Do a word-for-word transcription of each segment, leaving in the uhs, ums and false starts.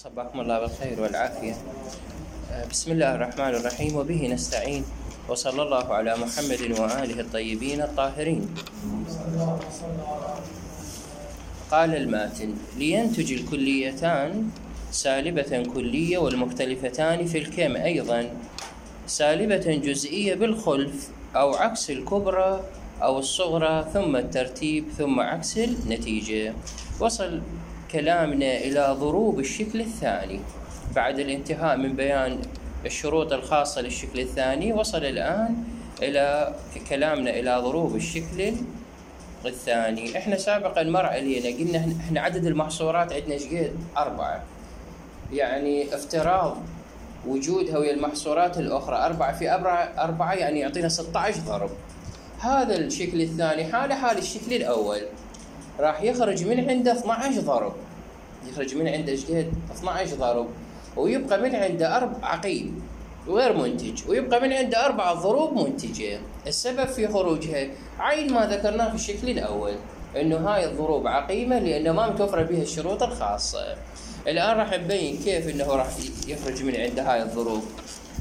صباحكم الله بالخير والعافية. بسم الله الرحمن الرحيم وبه نستعين وصلى الله على محمد وآله الطيبين الطاهرين. قال الماتن: لينتج الكليتان سالبة كلية والمختلفتان في الكم أيضا سالبة جزئية بالخلف أو عكس الكبرى أو الصغرى ثم الترتيب ثم عكس النتيجة. وصل كلامنا إلى ضروب الشكل الثاني بعد الانتهاء من بيان الشروط الخاصة للشكل الثاني. وصل الآن إلى كلامنا إلى ضروب الشكل الثاني. إحنا سابقا مر علينا قلنا إحنا عدد المحصورات عندنا شقد أربعة، يعني افتراض وجودها ويا المحصورات الأخرى أربعة في أربعة أربعة يعني يعطينا ستة عشر ضرب. هذا الشكل الثاني حاله حال الشكل الأول، راح يخرج من عنده اثني عشر ضرب، يخرج من عنده شقد اثني عشر ضرب، ويبقى من عنده أربع عقيم غير منتج، ويبقى من عنده أربعة ضروب منتجة. السبب في خروجها عين ما ذكرناه في الشكل الأول، إنه هاي الضروب عقيمة لأنه ما متوفرة بها الشروط الخاصة. الآن راح نبين كيف إنه راح يخرج من عنده هاي الضروب.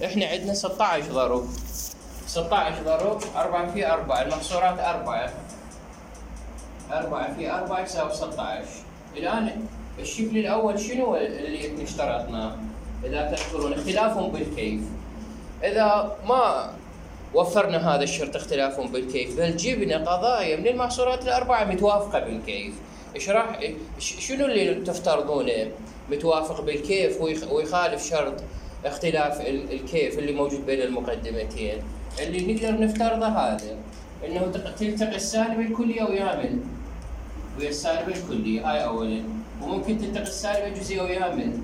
إحنا عندنا ستة عشر ضرب، ستة عشر ضرب أربعة في أربعة، المحصورات أربعة، أربعة في أربعة يساوي ستة عشر. الآن الشكل الأول شنو اللي اشترطناه؟ إذا تذكرون اختلاف بالكيف. إذا ما وفرنا هذا الشرط اختلاف بالكيف بل جبنا قضايا من المحصورات الأربعة متوافقة بالكيف، إيش راح شنو اللي تفترضونه متوافق بالكيف ويخالف شرط اختلاف الكيف اللي موجود بين المقدمتين؟ اللي نقدر نفترضه هذا إنه تلتقي السالبة الكلية ويا من ويا السالبة الكلية، هاي أولاً. وممكن تلتقي السالبة الجزئية ويا من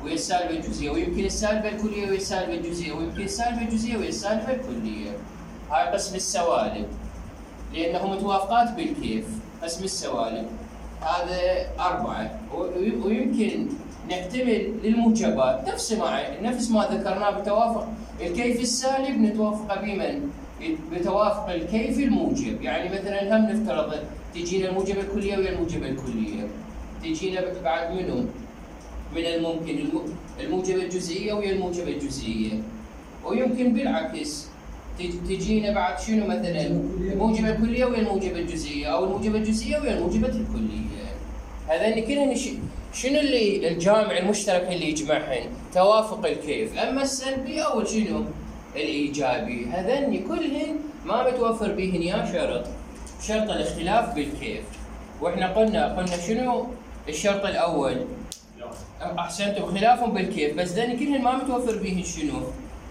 ويا السالبة الجزئية، ويمكن السالبة الكلية ويا السالبة الجزئية، ويمكن السالبة الجزئية ويا السالبة الكلية. هاي قسم السوالب لأنه متوافقات بالكيف. قسم السوالب هذا أربعة، ويمكن نحتمل للموجبات نفس ما نفس ما ذكرناه بتوافق الكيف السالب نتوافق بمن؟ بتوافق الكيف الموجب. يعني مثلا هم نفترض تجينا الموجبة الكلية ويا الموجبة الكلية، تجينا بعد منهم من الممكن الموجبة الجزئية ويا الموجبة الجزئية، ويمكن بالعكس تجينا بعد شنو مثلا الموجبة الكلية ويا الموجبة الجزئية، أو الموجبة الجزئية ويا الموجبة الكلية. هذين كلهن شنو اللي الجامع المشترك اللي يجمعهن؟ توافق الكيف. أما السلبي أو شنو الإيجابي، هذين كلهن ما متوفر بهن يا شرط شرط الاختلاف بالكيف. واحنا قلنا قلنا شنو الشرط الأول؟ أحسنتم، خلاف بالكيف، بس ذني كلهن ما متوفر بهن شنو؟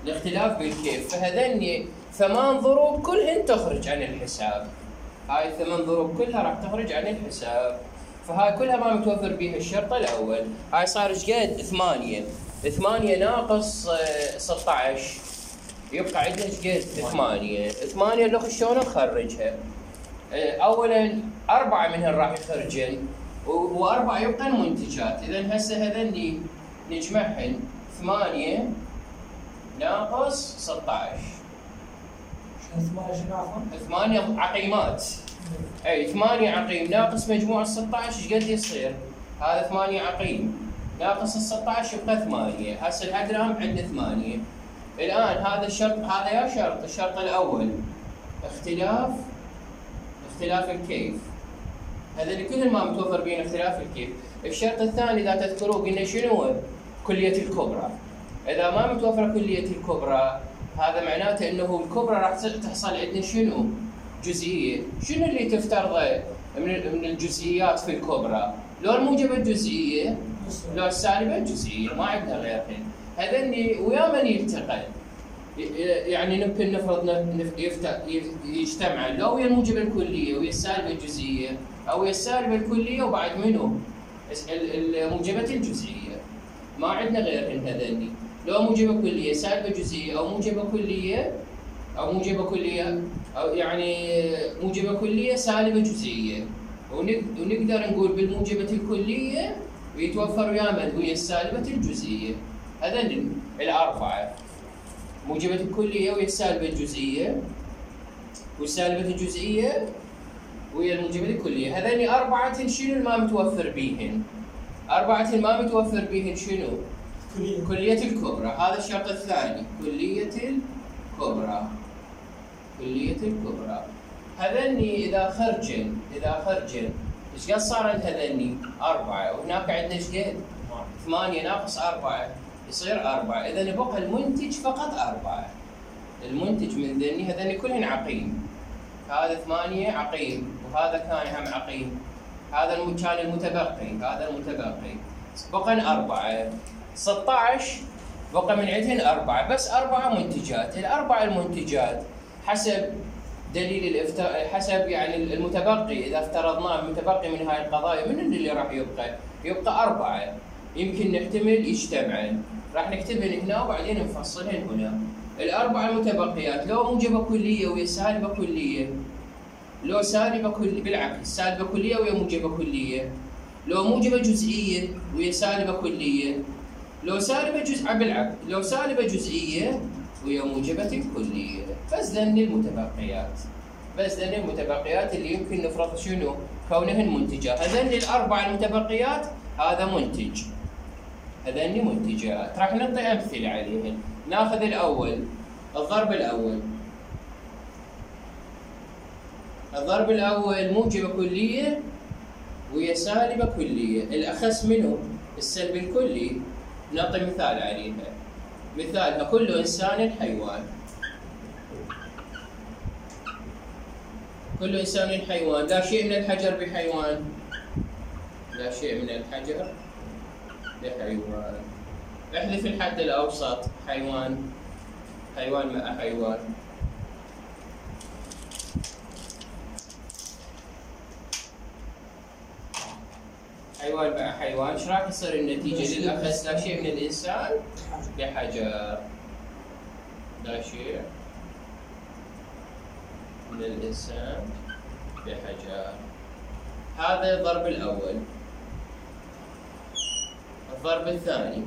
الاختلاف بالكيف. فهذني ثمان ضروب كلهن تخرج عن الحساب. هاي الثمان ضروب كلها راح تخرج عن الحساب، فهاي كلها ما متوفر بها الشرط الأول. هاي صار شقد؟ ثمانية. ثمانية ناقص ستة عشر يبقى عندنا شقد؟ ثمانية. ثمانية لو شلون نخرجها؟ أولاً أربعة منهن راح يخرجن وأربعة يبقى المنتجات. إذا هسه هذني نجمعهن ثمانية ناقص ستة عشر. ثمانية عقيمات. أي ثمانية عقيم ناقص مجموع الستة عشر إيش قد يصير؟ هذا ثمانية عقيم ناقص الستة عشر يبقى ثمانية. هسه الأدرهم عندنا ثمانية. الآن هذا الشرط هذا يا شرط الشرط الأول اختلاف اختلاف الكيف، هذا اللي كل ما متوفر بين اختلاف الكيف. الشرط الثاني إذا تذكروا قلنا شنو هو؟ كلية الكبرى. إذا ما متوفر كلية الكبرى هذا معناته إنه الكبرى راح تحصل عندنا شنو؟ جزئية. شنو اللي تفترضه من من الجزئيات في الكبرى؟ لو الموجبة الجزئية لو السالبة الجزئية، ما عندنا غيرهن. هذني ويا من يلتقى يعني يمكن نفرض يجتمع لو ويا الموجبة الكلية ويا السالبة الجزئية، أو ويا السالبة الكلية وبعد منه الموجبة الجزئية. ما عندنا غيرهن هذني. لو موجبة كلية سالبة جزئية، أو موجبة كلية أو موجبة كلية أو يعني موجبة كلية سالبة جزئية، ونقدر نقول بالموجبة الكلية ويتوفر ويا من؟ ويا السالبة الجزئية. هذين الأربعة، موجبة الكلية ويا السالبة الجزئية، والسالبة الجزئية ويا الموجبة الكلية. هذين أربعة شنو ما متوفر بيهن؟ أربعة ما متوفر بهن شنو؟ كلية كلية الكبرى. هذا الشرط الثاني، كلية الكبرى. كلية الكبرى. هذني إذا خرجن إذا خرجن إيش قد صارن هذني؟ أربعة، وهناك عندنا إيش قد؟ ثمانية ناقص أربعة يصير أربعة، إذا بقى المنتج فقط أربعة. المنتج من ذني هذني كلهن عقيم. هذا ثمانية عقيم، وهذا كان هم عقيم. هذا كان المتبقي، هذا المتبقي. بقى أربعة. ستة عشر بقى من عندهن أربعة، بس أربعة منتجات. الأربع المنتجات حسب دليل الافتراء، حسب يعني المتبقي، إذا افترضناه المتبقي من هاي القضايا من اللي راح يبقى؟ يبقى أربعة. يمكن نحتمل يجتمعن، راح نكتبهن هنا وبعدين نفصلهن هنا. الأربع المتبقيات لو موجبة كلية ويا سالبة كلية، لو سالبة كلية بالعكس، سالبة كلية ويا موجبة كلية، لو موجبة جزئية ويا سالبة كلية، لو سالبة جزء بالعكس، لو سالبة جزئية ويا موجبة كلية. بس ذني المتبقيات، بس ذني المتبقيات اللي يمكن نفرض شنو؟ كونهن منتجات. هذني الأربع المتبقيات هذا منتج، هذني منتجات. راح نعطي أمثلة عليهن. ناخذ الأول، الضرب الأول. الضرب الأول موجبة كلية ويا سالبة كلية، الأخس منه السلب الكلي. نعطي مثال عليها، مثالها كل إنسان حيوان. كل إنسان حيوان، لا شيء من الحجر بحيوان، لا شيء من الحجر بحيوان. احذف الحد الأوسط، حيوان، حيوان مع حيوان. حيوان مع حيوان، ايش راح يصير النتيجة للأخس؟ لا شيء من الإنسان بحجر، لا شيء من الإنسان بحجر. هذا الضرب الأول. الضرب الثاني،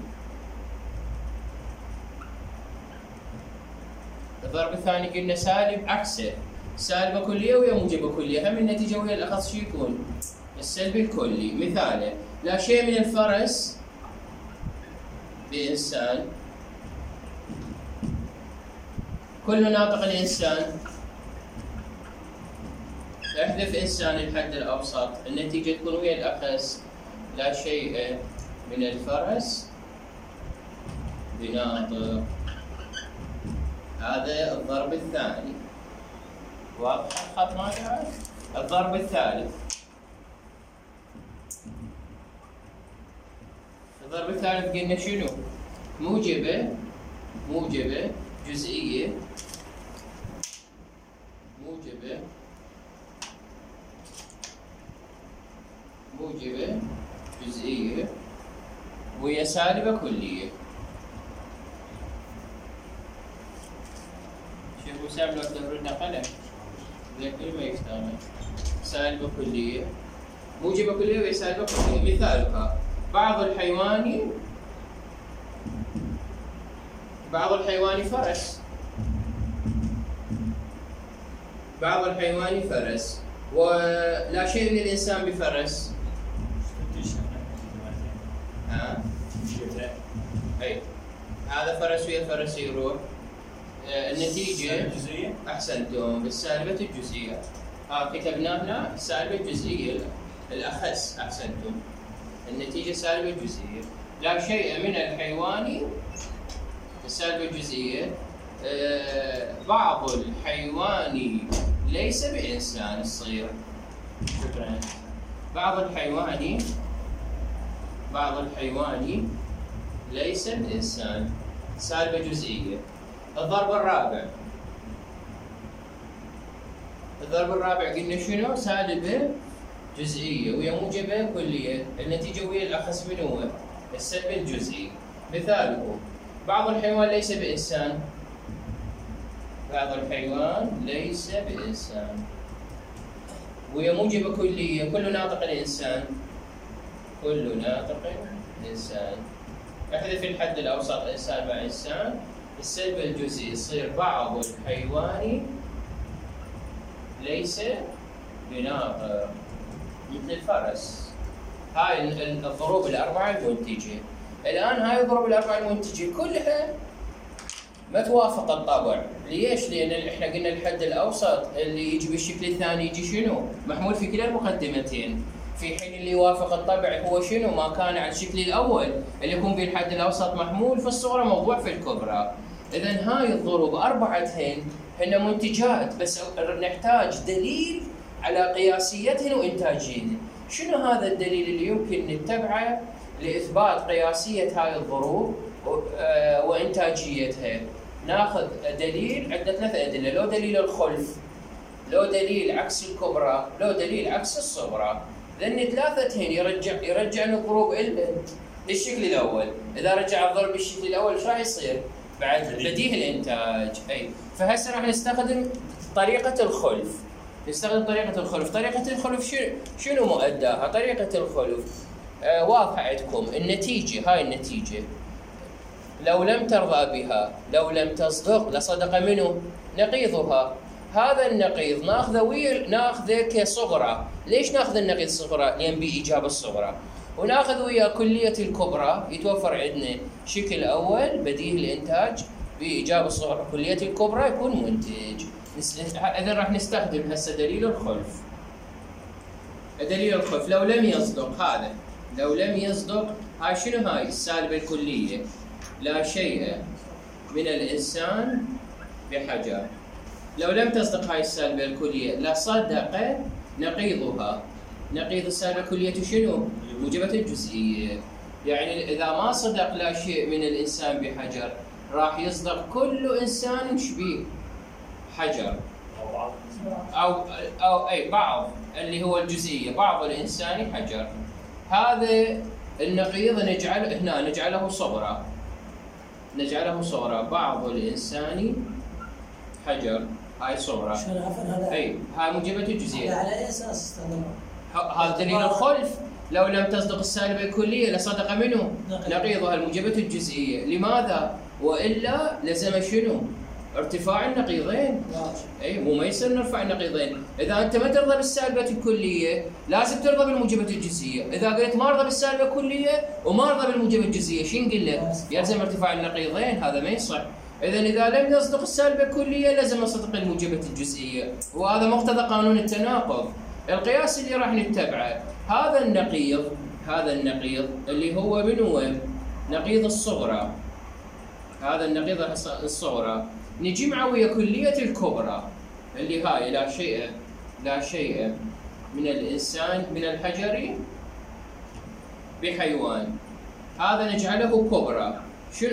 الضرب الثاني قلنا سالب عكسه، سالبة كلية ويا موجبة كلية، هم النتيجة ويا الأخص شو يكون؟ السلب الكلي. مثاله لا شيء من الفرس بإنسان، كل ناطق الإنسان، احذف إنسان الحد الأوسط، النتيجة تكون ويا الأخس لا شيء من الفرس بناطق. هذا الضرب الثاني. واضح الخط ما قاعد؟ الضرب الثالث. الضرب الثالث قلنا شنو؟ موجبة موجبة جزئية، موجبة موجبة جزئية ويا سالبة كلية. شوفوا سالب لو تدورنا قلم زي كل ما يشتغل. سالبة كلية، موجبة كلية ويا سالبة كلية. مثالها بعض الحيوان، بعض الحيوان فرس، بعض الحيوان فرس، ولا شيء من الإنسان بفرس. ها؟ أي هذا فرس ويا فرس يروح. آه النتيجة أحسنتم بالسالبة الجزئية. ها كتبنا هنا السالبة الجزئية الأخس، أحسنتم. النتيجة سالبة جزئية. لا شيء من الحيوان، السالبة الجزئية. آه بعض الحيوان ليس بإنسان الصغير. شكرا. بعض الحيوان، بعض الحيوان ليس بإنسان، سالبة جزئية. الضرب الرابع. الضرب الرابع قلنا شنو؟ سالبة جزئية ويا موجبة كلية، النتيجة ويا الأخس من هو؟ السلب الجزئي. مثاله بعض الحيوان ليس بإنسان، بعض الحيوان ليس بإنسان ويا موجبة كلية، كل ناطق الإنسان، كل ناطق الإنسان. احذف الحد الأوسط إنسان مع إنسان، السلب الجزئي يصير بعض الحيوان ليس بناطق، مثل الفرس. هاي الضروب الأربعة المنتجة. الآن هاي الضروب الأربعة المنتجة كلها ما توافق الطبع. ليش؟ لأن احنا قلنا الحد الأوسط اللي يجي بالشكل الثاني يجي شنو؟ محمول في كلا المقدمتين، في حين اللي يوافق الطبع هو شنو؟ ما كان على الشكل الأول اللي يكون به الحد الأوسط محمول في الصغرى موضوع في الكبرى. إذا هاي الضروب أربعتهن هن منتجات، بس نحتاج دليل على قياسيتهن وإنتاجيتهن. شنو هذا الدليل اللي يمكن نتبعه لإثبات قياسية هاي الضروب وإنتاجيتها؟ ناخذ دليل، عندنا ثلاث أدلة، لو دليل الخلف، لو دليل عكس الكبرى، لو دليل عكس الصغرى. لأن ثلاثتهن يرجع يرجع الضروب للشكل الأول. إذا رجع الضرب بالشكل الأول ايش راح يصير؟ بعد بديهي الإنتاج. أي فهسه راح نستخدم طريقة الخلف. نستخدم طريقة الخلف. طريقة الخلف شنو شنو مؤداها؟ طريقة الخلف آه واضحة عندكم. النتيجة، هاي النتيجة لو لم ترضى بها، لو لم تصدق لصدق منه نقيضها. هذا النقيض ناخذه ويا ناخذه كصغرى. ليش ناخذ النقيض صغرى؟ لأن بإيجاب الصغرى. وناخذ ويا كلية الكبرى، يتوفر عندنا شكل أول بديهي الإنتاج بإيجاب الصغرى، كلية الكبرى يكون منتج. إذا راح نستخدم هسه دليل الخلف. دليل الخلف لو لم يصدق هذا، لو لم يصدق هاي شنو؟ هاي السالبة الكلية، لا شيء من الإنسان بحجر. لو لم تصدق هاي السالبة الكلية لصدق نقيضها. نقيض السالبة الكلية شنو؟ موجبة الجزئية. يعني إذا ما صدق لا شيء من الإنسان بحجر راح يصدق كل إنسان شبيه حجر، أو أو أي بعض اللي هو الجزئية، بعض الإنسان حجر. هذا النقيض نجعل هنا نجعله صغرى، نجعله صغرى. بعض الإنسان حجر، هاي صغرى. أي هاي موجبة الجزئية. على أي أساس استخدمها؟ هذا دليل الخلف. لو لم تصدق السالبة الكلية لصدق منه نقيضها الموجبة الجزئية. لماذا؟ وإلا لزم شنو؟ ارتفاع النقيضين. اي مو ما يصير نرفع النقيضين. اذا انت ما ترضى بالسالبة الكلية لازم ترضى بالموجبة الجزئية. اذا قلت ما ارضى بالسالبة الكلية وما ارضى بالموجبة الجزئية شو نقول له؟ يلزم ارتفاع النقيضين. هذا ما يصح. اذا اذا لم يصدق السالبة الكلية لازم يصدق الموجبة الجزئية، وهذا مقتضى قانون التناقض. القياس اللي راح نتبعه هذا النقيض، هذا النقيض اللي هو من هو؟ نقيض الصغرى. هذا النقيض الصغرى نجي معه ويا كلية الكبرى اللي هاي لا شيء لا شيء من الإنسان من الحجر بحيوان. هذا نجعله كبرى. شو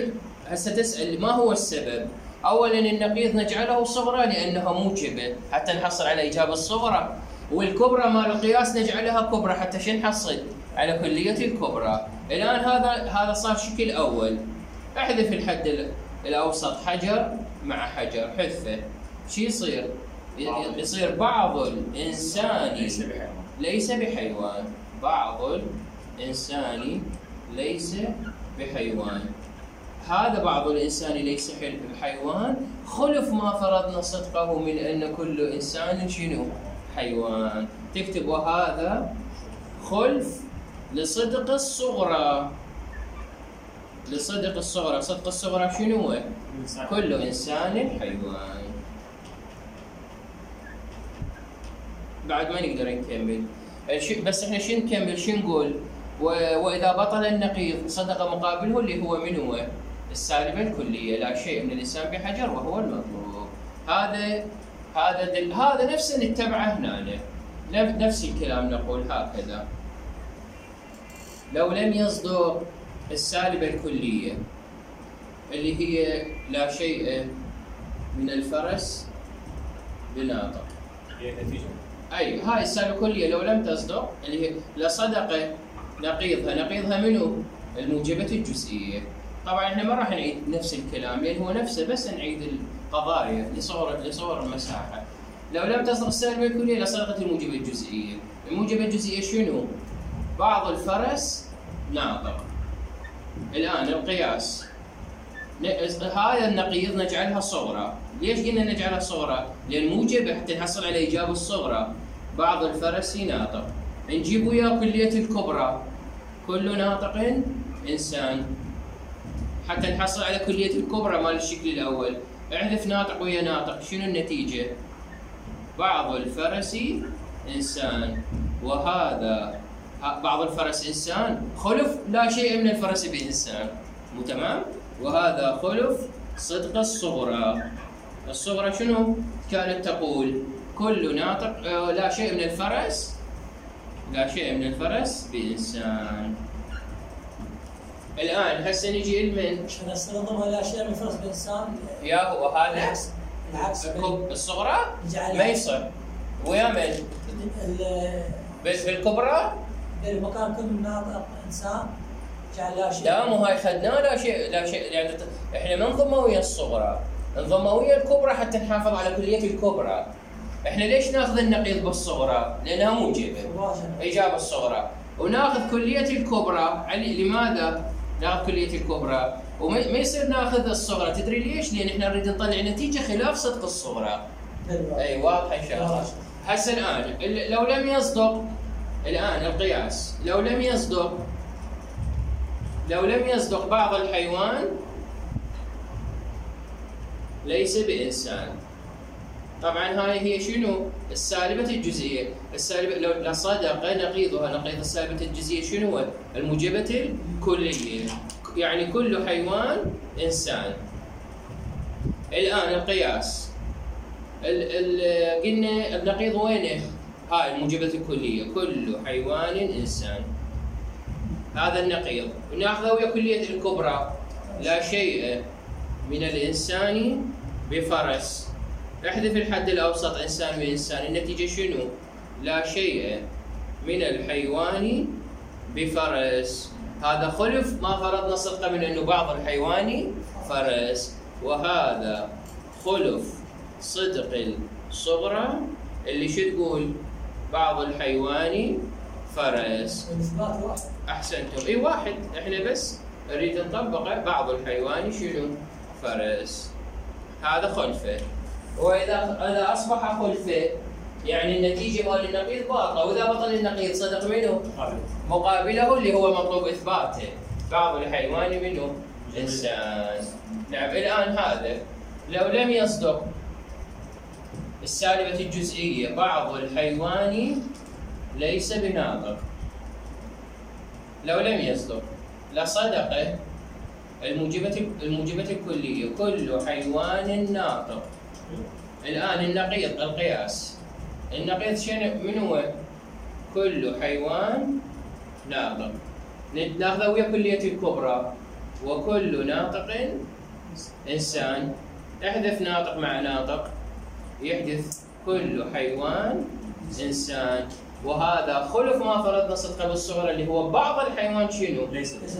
هسه تسأل ما هو السبب؟ أولاً النقيض نجعله صغرى لأنها موجبة حتى نحصل على إجابة الصغرى، والكبرى مال القياس نجعلها كبرى حتى شو نحصل على كلية الكبرى. الآن هذا هذا صار شكل أول. احذف الحد الأوسط حجر مع حجر، حذفه. شو يصير؟ يصير بعض الإنسان ليس بحيوان. بعض الإنسان ليس بحيوان. هذا بعض الإنسان ليس بحيوان خلف ما فرضنا صدقه من أن كل إنسان شنو؟ حيوان. تكتب وهذا خلف لصدق الصغرى. لصدق الصغرى. صدق الصغرى شنو هو؟ كل إنسان حيوان. بعد ما نقدر نكمل بس احنا شو نكمل؟ شو نقول؟ وإذا بطل النقيض صدق مقابله اللي هو من هو؟ السالبة الكلية، لا شيء من الإنسان بحجر وهو المطلوب. هذا هذا دل... هذا نفسه نتبعه هنا، نفس الكلام نقول هكذا. لو لم يصدق السالبة الكلية اللي هي لا شيء من الفرس بناطق، هي النتيجة. أي هاي السالبة الكلية لو لم تصدق اللي هي لصدق نقيضها. نقيضها منو؟ الموجبة الجزئية. طبعا احنا ما راح نعيد نفس الكلام لأن هو نفسه، بس نعيد القضايا لصور لصور المساحة. لو لم تصدق السالبة الكلية لصدقت الموجبة الجزئية. الموجبة الجزئية شنو؟ بعض الفرس ناطق. الآن القياس هذا النقيض نجعلها صغرى. ليش قلنا نجعلها صغرى؟ لأن موجبة حتى نحصل على إجابة الصغرى. بعض الفرس ناطق. نجيب وياه كلية الكبرى، كل ناطق إنسان، حتى نحصل على كلية الكبرى مال الشكل الأول. احذف ناطق ويا ناطق، شنو النتيجة؟ بعض الفرس إنسان، وهذا بعض الفرس إنسان خلف لا شيء من الفرس بإنسان، مو تمام؟ وهذا خلف صدق الصغرى. الصغرى شنو كانت تقول؟ كل ناطق آه لا شيء من الفرس، لا شيء من الفرس بإنسان. الآن هسه نجي لمن؟ عشان نستخدمها لا شيء من الفرس بإنسان. يا هو هذا العكس العكس الصغرى ما يصير ويا من؟ بالكبرى؟ بالمكان كل ناطق إنسان جعل لا شيء. لا مو هاي خدناه لا شيء لا شيء، يعني احنا ما نضمه ويا الصغرى، نضمه ويا الكبرى حتى نحافظ على كلية الكبرى. احنا ليش ناخذ النقيض بالصغرى؟ لانها موجبه، اجابه الصغرى، وناخذ كليه الكبرى. لماذا ناخذ كليه الكبرى وما يصير ناخذ الصغرى؟ تدري ليش؟ لان احنا نريد نطلع نتيجه خلاف صدق الصغرى. اي واضحه ان شاء الله. هسه الان لو لم يصدق، الان القياس لو لم يصدق لو لم يصدق بعض الحيوان ليس بإنسان. طبعا هاي هي شنو؟ السالبة الجزئية. السالبة لو صدق نقيضها، نقيض السالبة الجزئية شنو هو؟ الموجبة الكلية، يعني كل حيوان إنسان. الآن القياس ال ال قلنا النقيض وينه؟ هاي الموجبة الكلية، كل حيوان إنسان، هذا النقيض. وناخذه ويا كلية الكبرى، لا شيء من الإنسان بفرس. احذف الحد الأوسط إنسان وإنسان، النتيجة شنو؟ لا شيء من الحيوان بفرس. هذا خلف ما فرضنا صدقه من أنه بعض الحيوان فرس، وهذا خلف صدق الصغرى اللي شو تقول؟ بعض الحيوان فرس. الإثبات واحد. أحسنتم، إي واحد، إحنا بس نريد نطبقه. بعض الحيوان شنو؟ فرس. هذا خلفه، وإذا إذا أصبح خلفه يعني النتيجة مال النقيض باطلة، وإذا بطل النقيض صدق منه؟ مقابله اللي هو مطلوب إثباته. بعض الحيوان منه؟ إنسان. نعم. الآن هذا لو لم يصدق السالبة الجزئية، بعض الحيوان ليس بناطق، لو لم يصدق لصدق الموجبة الموجبة الكلية، كل حيوان ناطق. الآن النقيض القياس، النقيض شنو من هو؟ كل حيوان ناطق، ناخذه ويا كلية الكبرى، وكل ناطق إنسان. احذف ناطق مع ناطق، يحدث كل حيوان إنسان. وهذا خلف ما فرضنا صدقه بالصغرى اللي هو بعض الحيوان شنو؟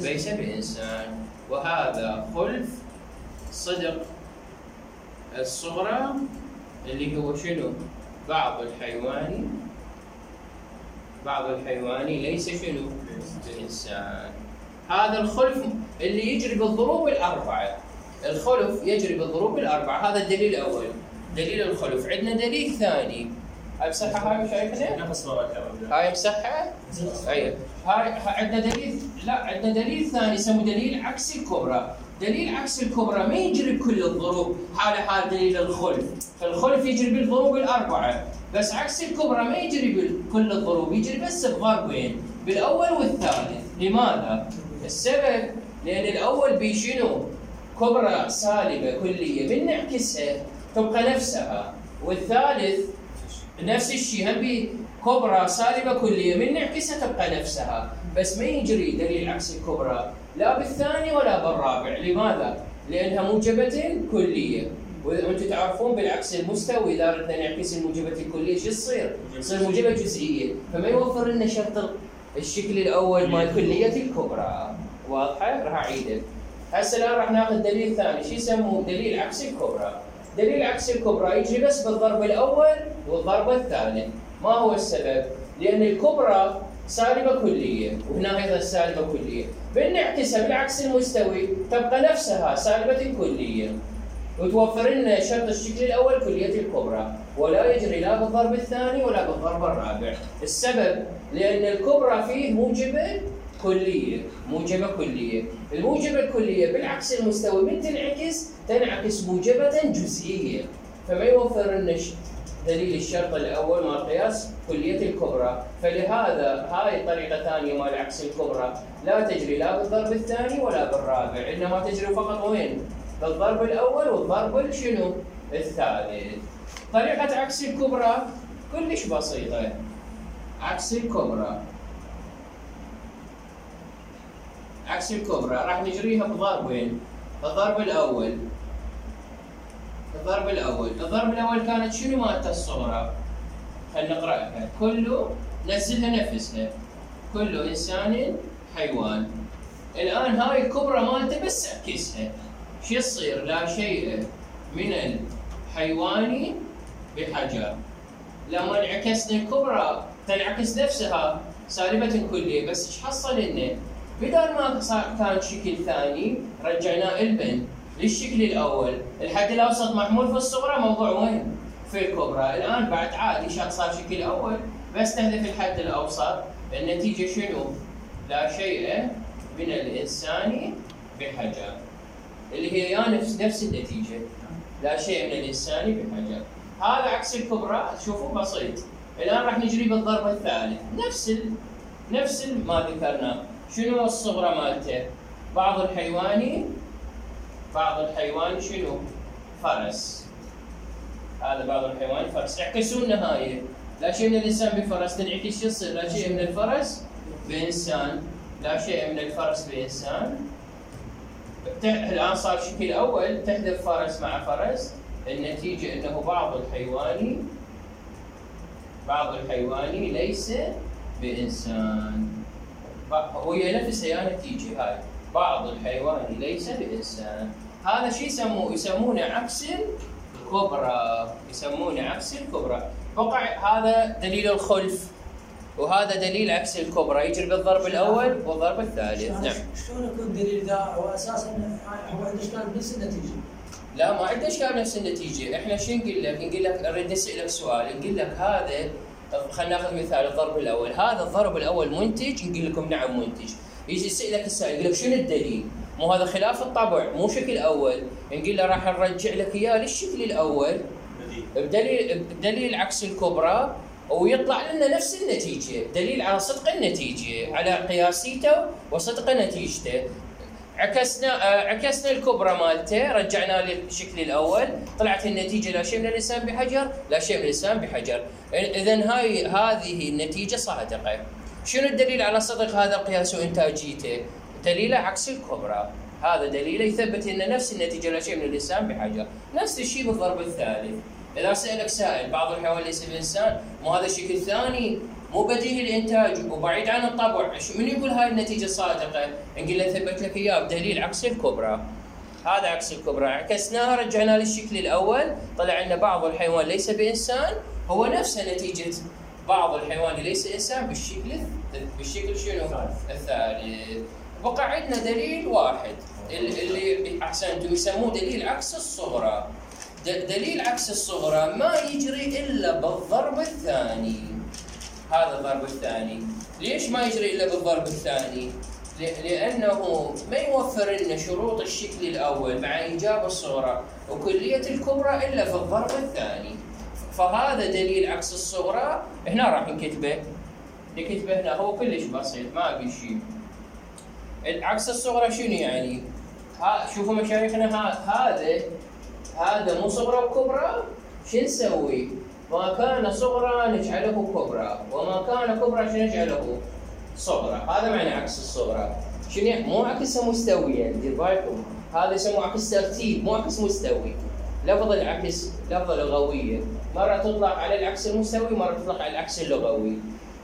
ليس بإنسان. وهذا خلف صدق الصغرى اللي هو شنو؟ بعض الحيوان بعض الحيوان ليس شنو؟ بإنسان. هذا الخلف اللي يجري بالضروب الأربعة. الخلف يجري بالضروب الأربعة، هذا الدليل الأول، دليل الخلف. عندنا دليل ثاني، هاي مسحة، هاي مشايخنا؟ هاي مسحة؟ أيوه. هاي عندنا دليل، لا عندنا دليل ثاني اسمه دليل عكس الكبرى. دليل عكس الكبرى ما يجري بكل الضروب، حال حال دليل الخلف. فالخلف يجري بالضروب الأربعة، بس عكس الكبرى ما يجري بكل الضروب، يجري بس بضربين، بالأول والثالث. لماذا؟ السبب لأن الأول بشنو؟ كبرى سالبة كلية، من نعكسها تبقى نفسها، والثالث نفس الشيء، هم بكبرى سالبة كلية، من نعكسها تبقى نفسها، بس ما يجري دليل عكس الكبرى لا بالثاني ولا بالرابع. لماذا؟ لأنها موجبة كلية، وانتم تعرفون بالعكس المستوي اذا اردنا نعكس الموجبة الكلية شو تصير؟ تصير موجبة جزئية، فما يوفر لنا شرط الشكل الأول مال كلية الكبرى. واضحة؟ راح أعيده. هسه الآن راح ناخذ دليل ثاني، شو يسموه؟ دليل عكس الكبرى. دليل عكس الكبرى يجري بس بالضرب الأول والضرب الثالث. ما هو السبب؟ لأن الكبرى سالبة كلية، وهنا أيضا سالبة كلية، بنعكسها بالعكس المستوي تبقى نفسها سالبة كلية، وتوفر لنا شرط الشكل الأول كلية الكبرى، ولا يجري لا بالضرب الثاني ولا بالضرب الرابع. السبب لأن الكبرى فيه موجبة كلية، موجبة كلية، الموجبة الكلية بالعكس المستوي من تنعكس تنعكس موجبة جزئية، فما يوفر لنا دليل الشرط الأول مال قياس كلية الكبرى، فلهذا هاي طريقة ثانية مال عكس الكبرى لا تجري لا بالضرب الثاني ولا بالرابع، إنما تجري فقط وين؟ بالضرب الأول والضرب شنو؟ الثالث. طريقة عكس الكبرى كلش بسيطة. عكس الكبرى عكس الكبرى راح نجريها بضربين. الضرب الأول الضرب الأول الضرب الأول كانت شنو مالته الصغرى؟ خلينا نقرأها. كل نزلها نفسها. كل إنسان حيوان. الآن هاي الكبرى مالته بس اعكسها. شو يصير؟ لا شيء من الحيوان بحجر. لما انعكسنا الكبرى تنعكس نفسها سالبة كلية، بس ايش حصل لنا؟ بدل ما كان شكل ثاني رجعناه البن للشكل الاول، الحد الاوسط محمول في الصغرى موضوع وين؟ في الكبرى، الان بعد عادي شق صار شكل اول بس تهدف الحد الاوسط، النتيجة شنو؟ لا شيء من الانسان بحجر. اللي هي يا نفس نفس النتيجة، لا شيء من الانسان بحجر. هذا عكس الكبرى، شوفوا بسيط. الان راح نجري بالضرب الثالث، نفس ال... نفس ما ذكرناه. شنو الصغرى مالته؟ بعض الحيواني بعض الحيوان شنو؟ فرس. هذا بعض الحيوان فرس. اعكسوا النهاية، لا شيء من الانسان بفرس تنعكس يصير لا شيء من الفرس بانسان، لا شيء من الفرس بانسان. الان صار شكل اول تحذف فرس مع فرس، النتيجة انه بعض الحيواني بعض الحيواني ليس بانسان. وهي نفسها يا نتيجة هاي، بعض الحيواني ليس بإنسان. هذا شيء يسموه يسمونه عكس الكبرى، يسمونه عكس الكبرى. بقع هذا دليل الخلف، وهذا دليل عكس الكبرى، يجري بالضرب الأول والضرب الثالث. نعم. شلون يكون دليل ذا هو أساسا هو عنده إشكال بنفس النتيجة؟ لا ما عنده إشكال بنفس النتيجة، إحنا شو نقول لك؟ نقول لك نريد نسألك سؤال، نقول لك هذا خلينا ناخذ مثال الضرب الاول، هذا الضرب الاول منتج؟ نقول لكم نعم منتج. يجي يسالك السائل يقول لك شنو الدليل؟ مو هذا خلاف الطبع، مو شكل اول، نقول له راح نرجع لك اياه للشكل الاول بدليل بدليل عكس الكبرى، ويطلع لنا نفس النتيجه، دليل على صدق النتيجه، على قياسيته وصدق نتيجته. عكسنا عكسنا الكبرى مالته، رجعناه للشكل الاول، طلعت النتيجه لا شيء من الانسان بحجر، لا شيء من الانسان بحجر. اذا هاي هذه النتيجه صادقه. شنو الدليل على صدق هذا القياس وانتاجيته؟ دليله عكس الكبرى، هذا دليله يثبت ان نفس النتيجه لا شيء من الانسان بحجر. نفس الشيء بالضرب الثالث، اذا سالك سائل بعض الحيوان ليس بانسان، مو هذا شكل ثاني مو بديهي الانتاج وبعيد عن الطبع، من يقول هاي النتيجه صادقه؟ نقول له ثبت لك اياه بدليل عكس الكبرى. هذا عكس الكبرى، عكسناها رجعناه للشكل الاول، طلع لنا بعض الحيوان ليس بانسان هو نفس نتيجه بعض الحيوان ليس انسان بالشكل بالشكل شنو؟ الثالث. بقى عندنا دليل واحد اللي احسنتم يسموه دليل عكس الصغرى. دليل عكس الصغرى ما يجري الا بالضرب الثاني. هذا الضرب الثاني، ليش ما يجري الا بالضرب الثاني؟ لانه ما يوفر لنا شروط الشكل الاول مع ايجاب الصغرى وكليه الكبرى الا في الضرب الثاني. فهذا دليل عكس الصغرى، هنا راح نكتبه نكتبه هنا، هو كلش بسيط ما ابي شيء. عكس الصغرى شنو يعني؟ ها شوفوا مشايخنا، هذا هذا مو صغرى وكبرى، شو نسوي؟ ما كان صغرى نجعله كبرى، وما كان كبرى شو نجعله؟ صغرى. هذا معنى عكس الصغرى. شنو؟ مو عكسها مستويا، دير بالكم، هذا يسموه عكس ترتيب مو عكس مستوي. لفظ العكس لفظه لغويه، مره تطلق على العكس المستوي، مره تطلق على العكس اللغوي.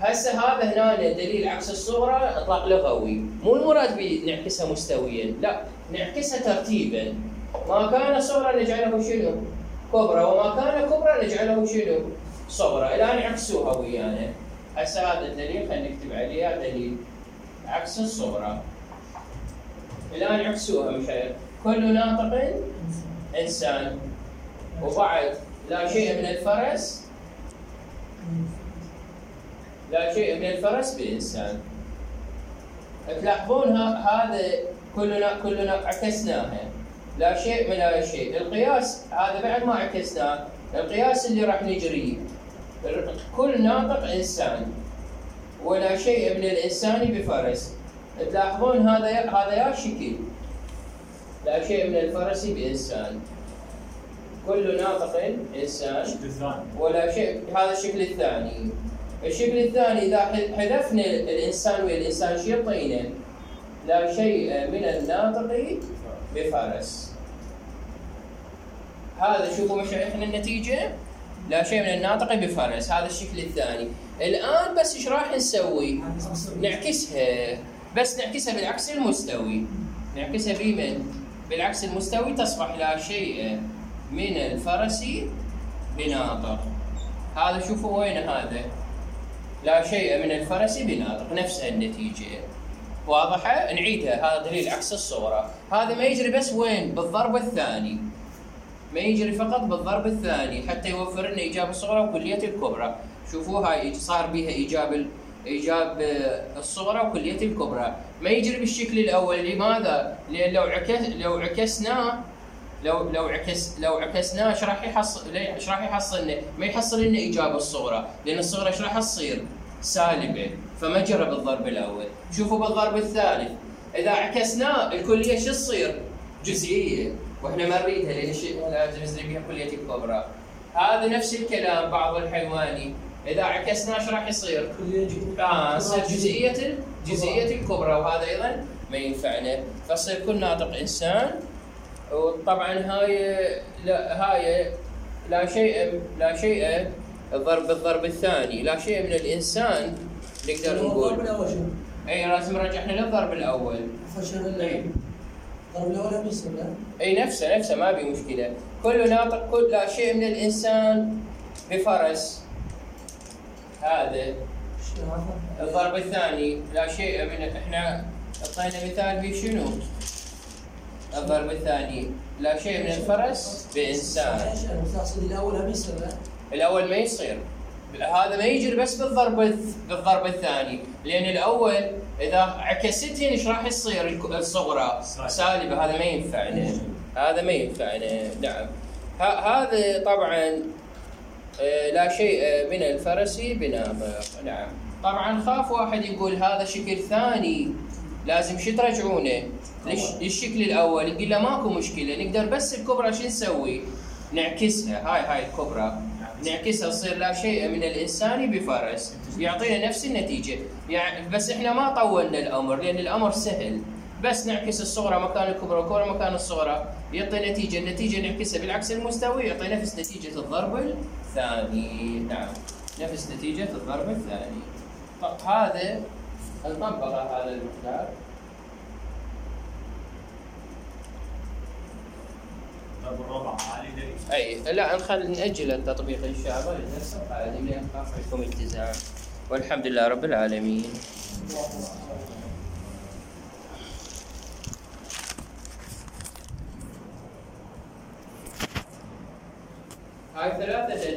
هسه هذا هنا دليل عكس الصغرى اطلاق لغوي، مو المراد بنعكسها مستويا، لا نعكسها ترتيبا. ما كان صغرى نجعله شنو؟ كبرى، وما كان كبرى نجعله شنو؟ صغرى. الان عكسوها ويانا. هسه هذا الدليل خلينا نكتب عليها دليل عكس الصغرى. الان عكسوها مشايخ. كل ناطق انسان، وبعد لا شيء من الفرس لا شيء من الفرس بإنسان. تلاحظون هذا كلنا كلنا عكسناها، لا شيء من لا شيء. القياس هذا بعد ما عكسناه، القياس اللي راح نجريه كل ناطق إنسان ولا شيء من الإنسان بفرس. تلاحظون هذا هذا يا شكل لا شيء من الفرس بإنسان، كل ناطق إنسان ولا شيء. هذا الشكل الثاني. الشكل الثاني إذا حذفنا الإنسان والإنسان شو يعطينا؟ لا شيء من الناطق بفرس. هذا شوفوا مشايخنا النتيجة، لا شيء من الناطق بفرس. هذا الشكل الثاني. الآن بس إيش راح نسوي؟ نعكسها، بس نعكسها بالعكس المستوي. نعكسها بمن؟ بالعكس المستوي تصبح لا شيء من الفرس بناطق. هذا شوفوا وين هذا؟ لا شيء من الفرس بناطق، نفس النتيجة. واضحة؟ نعيدها، هذا دليل عكس الصورة. هذا ما يجري بس وين؟ بالضرب الثاني. ما يجري فقط بالضرب الثاني حتى يوفر لنا إيجاب الصغرى وكلية الكبرى. شوفوا هاي صار بها إيجاب إيجاب الصغرى وكلية الكبرى. ما يجري بالشكل الأول. لماذا؟ لأن لو عكس لو عكسناه لو لو عكس لو عكسناه ايش راح يحصل؟ ايش راح يحصل لنا؟ ما يحصل لنا إيجاب الصغرى، لأن الصغرى ايش راح تصير؟ سالبة، فما جرى بالضرب الأول. شوفوا بالضرب الثالث إذا عكسناه الكلية شو تصير؟ جزئية، واحنا ما نريدها لأن الشيء لازم نزري بها كلية الكبرى. هذا نفس الكلام بعض الحيواني، إذا عكسناه ايش راح يصير؟ اه يصير جزئية جزئية الكبرى، وهذا أيضا ما ينفعنا، فصير كل ناطق إنسان. وطبعا هاي لا هاي لا شيء لا شيء الضرب بالضرب الثاني، لا شيء من الإنسان نقدر نقول. الضرب الأول شنو؟ أي لازم رجعنا للضرب الأول. فشل الضرب الأول هم يصير لا؟ أي نفسه نفسه ما بي مشكلة. كل ناطق كل لا شيء من الإنسان بفرس. هذا الضرب الثاني لا شيء من، احنا اعطينا مثال بشنو؟ الضرب الثاني لا شيء من الفرس بإنسان. الأول هم يصير لا؟ الأول ما يصير، هذا ما يجري بس بالضرب بالضرب الثاني، لأن الأول إذا عكستهن ايش راح يصير؟ الصغرى سالبة، هذا ما ينفعنا، هذا ما ينفعنا. نعم. هذا طبعا لا شيء من الفرس بناطق. نعم. طبعا خاف واحد يقول هذا شكل ثاني لازم شو ترجعونه؟ ليش الشكل الأول؟ يقول له ماكو مشكلة، نقدر بس الكبرى شو نسوي؟ نعكسها. هاي هاي الكبرى نعكسها تصير لا شيء من الإنسان بفرس، يعطينا نفس النتيجة. يعني بس احنا ما طولنا الأمر لأن الأمر سهل، بس نعكس الصغرى مكان الكبرى والكبرى مكان الصغرى يعطي نتيجة. النتيجة نعكسها بالعكس المستوي يعطي نفس نتيجة الضرب الثاني. نعم، نفس نتيجة الضرب الثاني. طب هذا نطبق هذا المقدار. الرابع عالي اي لا نخلي نأجل التطبيق ان شاء الله للدرس القادم لان خاف لكم التزام. والحمد لله رب العالمين. هاي ثلاثة